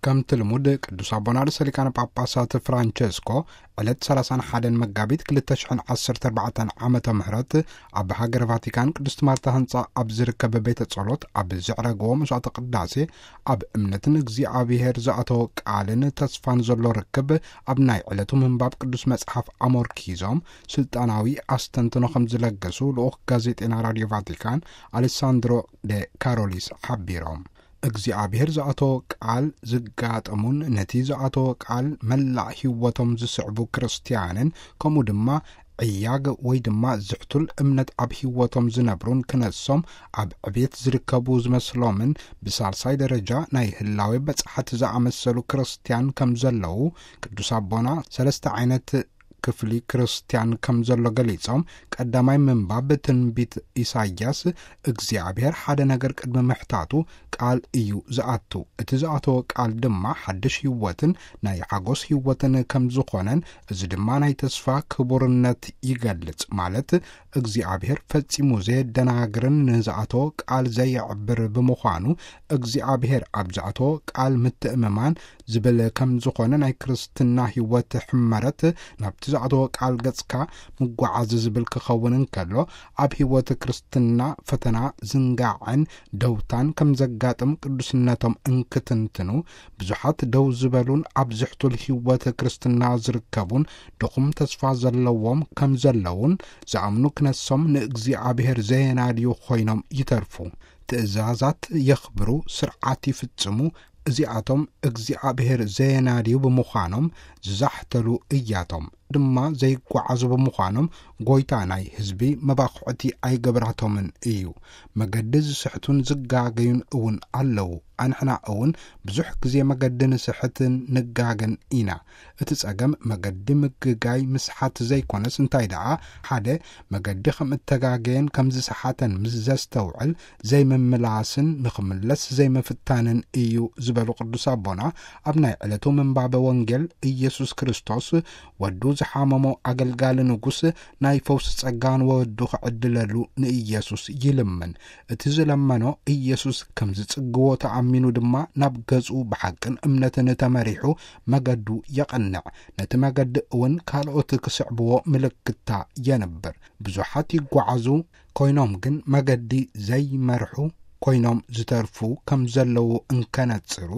ከምቲ ልሙድ ቅዱስ ኣቦና ርእሰ ሊቃነ ጳጳሳት ፍራንቸስኮ ዕለት ሰላሳን ሓደን መጋቢት ክልተ ሽሕን ዓሰርተ ኣርባዕተን ዓመተ ምህረት ኣብ ሃገረ ቫቲካን ቅድስት ማርታ ህንጻ ኣብ ዝርከብ ቤተ ጸሎት ኣብ ዘዕረግዎ መስዋዕተ ቅዳሴ ኣብ እምነትን እግዚኣብሔር ዝኣተወ ቃልን ተስፋን ዘሎ ርክብ ኣብ ናይ ዕለቱ ምንባብ ቅዱስ መጽሓፍ ኣሞርኪዞም ስልጣናዊ ኣስተንትኖ ከም ዝለገሱ ልኡኽ ጋዜጤና ራድዮ ቫቲካን ኣሌሳንድሮ ደ ካሮሊስ ሓቢሮም። እግዚኣብሔር ዝኣተወ ቃል ዝጋጠሙን ነቲ ዝኣተወ ቃል መላእ ህይወቶም ዝስዕቡ ክርስትያንን ከምኡ ድማ ዕያግ ወይ ድማ ዝሕቱል እምነት ኣብ ህይወቶም ዝነብሩን ክነሶም ኣብ ዕብየት ዝርከቡ ዝመስሎምን ብሳልሳይ ደረጃ ናይ ህላዌ በጻሕቲ ዝኣመሰሉ ክርስትያን ከም ዘለዉ ቅዱስ ኣቦና ሰለስተ ዓይነት ክፍሊ ክርስትያን ከም ዘሎ ገሊጾም፣ ቀዳማይ ምንባብ ትንቢት ኢሳይያስ እግዚኣብሔር ሓደ ነገር ቅድሚ ምሕታቱ ቃል እዩ ዝኣቱ፣ እቲ ዝኣተወ ቃል ድማ ሓድሽ ህይወትን ናይ ሓጎስ ህይወትን ከም ዝኾነን፣ እዚ ድማ ናይ ተስፋ ክቡርነት ይገልጽ፣ ማለት እግዚኣብሔር ፈጺሙ ዘየደናግርን ንዝኣተወ ቃል ዘየዕብር ብምዃኑ እግዚኣብሔር ኣብ ዝኣተወ ቃል ምትእምማን ዝብል ከም ዝኾነ ናይ ክርስትና ህይወት ሕመረት ናብቲ ዝኣተወ ቃል ገጽካ ምጓዓዝ ዝብል ክኸውን እንከሎ ኣብ ህይወት ክርስትና ፈተና ዝንጋዕን ደውታን ከም ዘጋጥም ቅዱስነቶም እንክትንትኑ ብዙሓት ደው ዝበሉን ኣብ ዝሕቱል ህይወት ክርስትና ዝርከቡን ድኹም ተስፋ ዘለዎም ከም ዘለውን ዝኣምኑ ክነሶም ንእግዚኣብሔር ዘየናድዩ ኮይኖም ይተርፉ። ትእዛዛት የኽብሩ፣ ስርዓት ይፍጽሙ፣ እዚኣቶም እግዚኣብሔር ዘየናድዩ ብምዃኖም ዝዛሕተሉ እያቶም ድማ ዘይጓዓዙ ብምዃኖም ጎይታ ናይ ህዝቢ መባኹዕቲ ኣይገብራቶምን እዩ። መገዲ ዝስሕቱን ዝጋገዩን እውን ኣለዉ። ኣንሕና እውን ብዙሕ ግዜ መገዲ ንስሕትን ንጋገን ኢና። እቲ ጸገም መገዲ ምግጋይ ምስሓት ዘይኮነስ እንታይ ደኣ ሓደ መገዲ ከም እተጋገየን ከም ዝሰሓተን ምስ ዘስተውዕል ዘይምምላስን ንኽምለስ ዘይምፍታንን እዩ ዝበሉ ቅዱስ ኣቦና ኣብ ናይ ዕለቱ ምንባበ ወንጌል ኢየሱስ ክርስቶስ ወዱ ዝሓመሞ ኣገልጋሊ ንጉስ ናይ ፈውሲ ጸጋ ንወዱ ክዕድለሉ ንኢየሱስ ይልምን። እቲ ዝለመኖ ኢየሱስ ከም ዝጽግዎ ተኣሚኑ ድማ ናብ ገጹ ብሓቅን እምነትን ተመሪሑ መገዱ የቐንዕ። ነቲ መገዲ እውን ካልኦት ክስዕብዎ ምልክታ የንብር። ብዙሓት ይጓዓዙ ኮይኖም ግን መገዲ ዘይመርሑ ኮይኖም ዝተርፉ ከም ዘለዉ እንከነጽሩ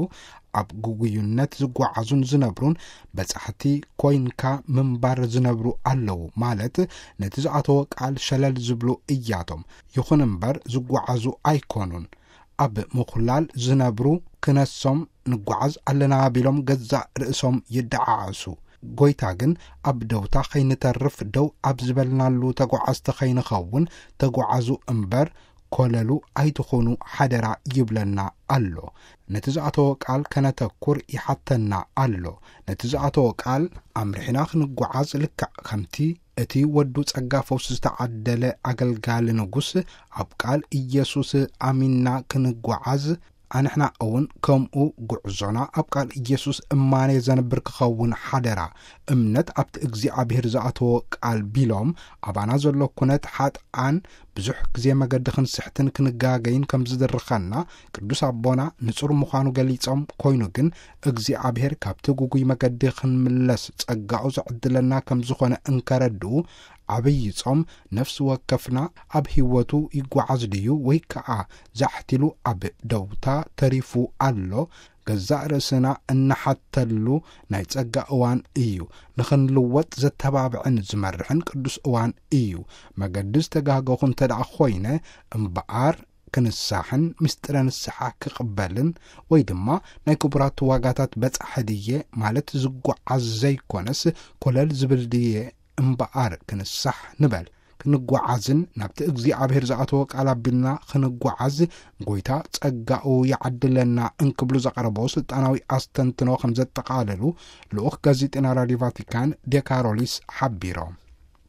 ኣብ ግጉዩነት ዝጓዓዙን ዝነብሩን በጻሕቲ ኮይንካ ምንባር ዝነብሩ ኣለዉ ማለት ነቲ ዝኣተወ ቃል ሸለል ዝብሉ እያቶም። ይኹን እምበር ዝጓዓዙ ኣይኮኑን። ኣብ ምኹላል ዝነብሩ ክነሶም ንጓዓዝ ኣለና ቢሎም ገዛእ ርእሶም ይደዓዓሱ። ጎይታ ግን ኣብ ደውታ ከይንተርፍ ደው ኣብ ዝበልናሉ ተጓዓዝቲ ከይንኸውን ተጓዓዙ እምበር ኮለሉ ኣይትኹኑ ሓደራ ይብለና ኣሎ። ነቲ ዝኣተወ ቃል ከነተኩር ይሓተና ኣሎ። ነቲ ዝኣተወ ቃል ኣምርሒና ክንጓዓዝ ልክዕ ከምቲ እቲ ወዱ ጸጋ ፈውሲ ዝተዓደለ ኣገልጋሊ ንጉስ ኣብ ቃል ኢየሱስ ኣሚንና ክንጓዓዝ ኣንሕና እውን ከምኡ ጉዕዞና ኣብ ቃል ኢየሱስ እማኔ ዘንብር ክኸውን ሓደራ። እምነት ኣብቲ እግዚኣብሔር ዝኣተዎ ቃል ቢሎም ኣባና ዘሎ ኩነት ሓጥኣን ብዙሕ ግዜ መገዲ ክንስሕትን ክንጋገይን ከም ዝድርኸና ቅዱስ ኣቦና ንጹር ምዃኑ ገሊጾም፣ ኮይኑ ግን እግዚኣብሔር ካብቲ ግጉይ መገዲ ክንምለስ ጸጋኡ ዝዕድለና ከም ዝኾነ እንከረድኡ ዓብዪ ጾም ነፍሲ ወከፍና ኣብ ህይወቱ ይጓዓዝ ድዩ ወይ ከኣ ዛሕቲሉ ኣብ ደውታ ተሪፉ ኣሎ? ገዛእ ርእስና እንሓተሉ ናይ ጸጋ እዋን እዩ። ንኽንልወጥ ዘተባብዕን ዝመርሕን ቅዱስ እዋን እዩ። መገዲ ዝተጋገኹ እንተ ደኣ ኾይነ እምበኣር ክንሳሕን ምስጢረ ንስሓ ክቕበልን ወይ ድማ ናይ ክቡራት ዋጋታት በጻሒ ድየ ማለት ዝጓዓዝ ዘይኮነስ ኮለል ዝብል ድየ እምበኣር ክንሳሕ ንበል። ክንጓዓዝን ናብቲ እግዚኣብሔር ዝኣተወ ቃል ኣቢልና ክንጓዓዝ ጎይታ ጸጋኡ ይዓድለና እንክብሉ ዘቐረቦ ስልጣናዊ ኣስተንትኖ ከም ዘጠቓለሉ ልኡኽ ጋዜጠና ራድዮ ቫቲካን ዴካሮሊስ ሓቢሮም።